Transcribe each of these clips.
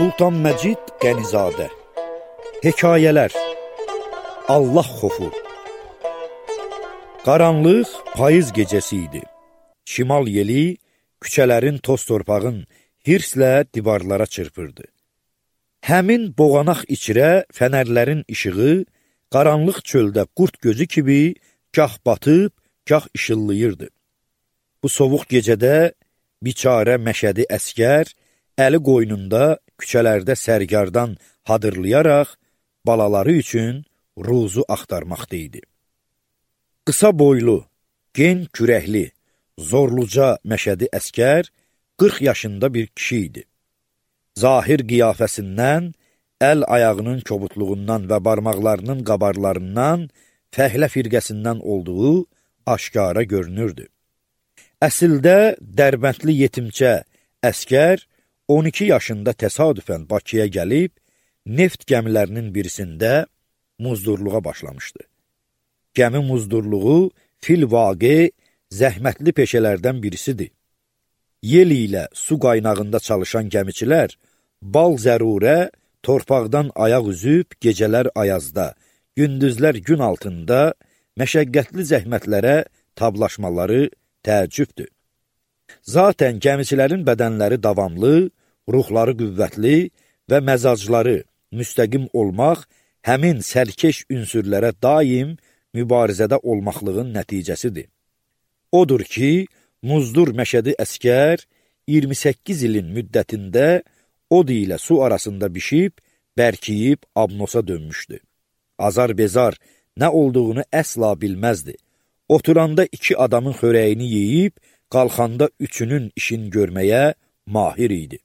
Sultan Məcid Qənizadə. Hekayələr. Allah xofu. Qaranlıq payız gecəsi idi. Şimal yeli küçələrin, toz torpağın hirslə divarlara çırpırdı. Həmin boğanaq içirə fənərlərin işığı qaranlıq çöldə qurd gözü kimi gah batıb, gah işıldayırdı. Bu sovuq gecədə biçarə Məşədi əskər əli qoynunda küçələrdə sərgardan hadırlayaraq balaları üçün ruzu axtarmaqda idi. Qısa boylu, gen kürəkli, zorluca Məşədi əskər 40 yaşında bir kişi idi. Zahir qiyafəsindən, əl-ayağının kobudluğundan və barmaqlarının qabarlarından, fəhlə firqəsindən olduğu aşkara görünürdü. Əsildə Dərbəndli yetimcə əskər 12 yaşında təsadüfən Bakıya gəlib, neft gəmilərinin birisində muzdurluğa başlamışdı. Gəmi muzdurluğu fil-vaqe zəhmətli peşələrdən birisidir. Yel ilə su qaynağında çalışan gəmiçilər bal zərurə torpaqdan ayaq üzüb gecələr ayazda, gündüzlər gün altında məşəqqətli zəhmətlərə tablaşmaları təəccübdür. Zatən gəmiçilərin bədənləri davamlı, ruhları qüvvətli və məzacları müstəqim olmaq həmin sərkeş ünsürlərə daim mübarizədə olmaqlığın nəticəsidir. Odur ki, muzdur Məşədi əskər 28 ilin müddətində od ilə su arasında bişib, bərkiyib abnosa dönmüşdü. Azar-bezar nə olduğunu əsla bilməzdi. Oturanda 2 adamın xörəyini yeyib, qalxanda 3-ünün işini görməyə mahir idi.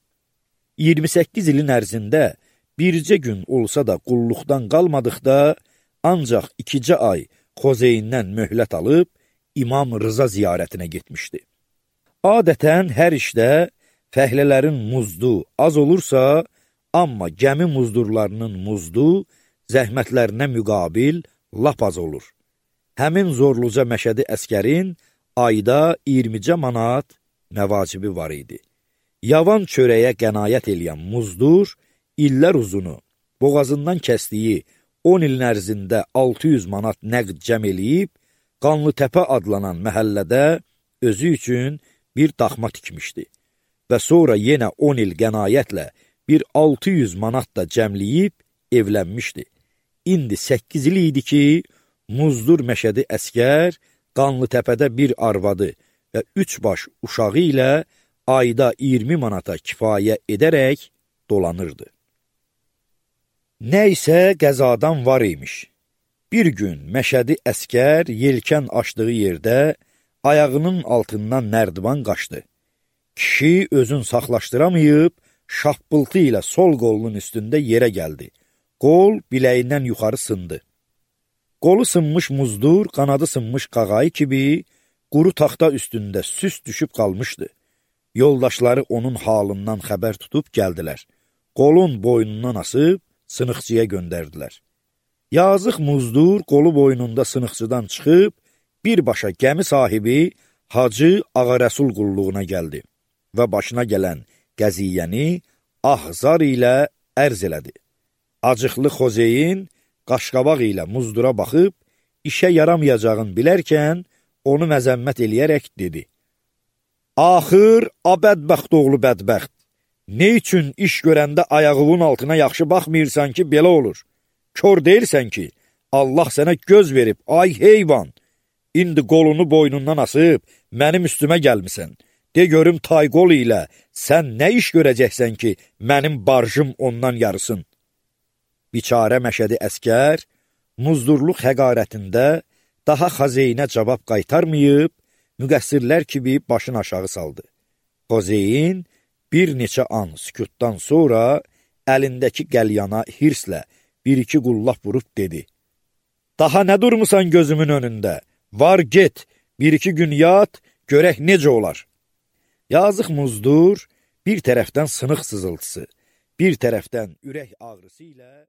28 ilin ərzində bircə gün olsa da qulluqdan qalmadıqda, ancaq 2 ay Xozeyindən möhlət alıb, İmam Rıza ziyarətinə getmişdi. Adətən hər işdə fəhlələrin muzdu az olursa, amma gəmi muzdurlarının muzdu zəhmətlərinə müqabil lap az olur. Həmin zorluca Məşədi əskərin ayda 20 manat məvacibi var idi. Yavan çörəyə qənaət eləyən muzdur, illər uzunu, boğazından kəsdiyi 10 ilin ərzində 600 manat nəqd cəm eləyib, Qanlıtəpə adlanan məhəllədə özü üçün bir daxma tikmişdi və sonra yenə 10 il qənaətlə bir 600 manat da cəmləyib evlənmişdi. İndi 8 il idi ki, muzdur Məşədi əskər Qanlıtəpədə bir arvadı və 3 baş uşağı ilə ayda 20 manata kifayə edərək dolanırdı. Nəysə qəzadan var imiş. Bir gün Məşədi əskər yelkən açdığı yerdə ayağının altından nərdivan qaçdı. Kişi özün saxlaşdıramayıb, şappıltı ilə sol qolunun üstündə yerə gəldi. Qol biləyindən yuxarı sındı. Qolu sınmış muzdur, qanadı sınmış qağayı kimi quru taxta üstündə süst düşüb qalmışdı. Yoldaşları onun halından xəbər tutub gəldilər. Qolun boynundan asıb sınıqçıya göndərdilər. Yazıq muzdur qolu boynunda sınıqçıdan çıxıb, birbaşa gəmi sahibi Hacı Ağarəsul qulluğuna gəldi və başına gələn qəziyyəni ahzar ilə ərz elədi. Acıqlı Xozeyin qaşqabaq ilə muzdura baxıb, işə yaramayacağını bilərkən onu məzəmmət eləyərək dedi. Axır, a bədbəxt oğlu bədbəxt, ne üçün iş görəndə ayağının altına yaxşı baxmıyırsan ki, belə olur? Kör deyirsən ki, Allah sənə göz verib, ay heyvan, indi qolunu boynundan asıb, mənim üstümə gəlmisən. De görüm tay qol ilə sən nə iş görəcəksən ki, mənim barjım ondan yarısın. Biçarə Məşədi əskər, muzdurluq həqarətində daha Xozeynə cavab qaytarmayıb, müqəssirlər kimi başını aşağı saldı. Xozeyin bir neçə an sükutdan sonra əlindəki qəlyana hirslə bir-iki qullap vurub dedi. Daha nə durmusan gözümün önündə? Var get, 1-2 gün yat, görək necə olar? Yazıq muzdur, bir tərəfdən sınıq sızıltısı, bir tərəfdən ürək ağrısı ilə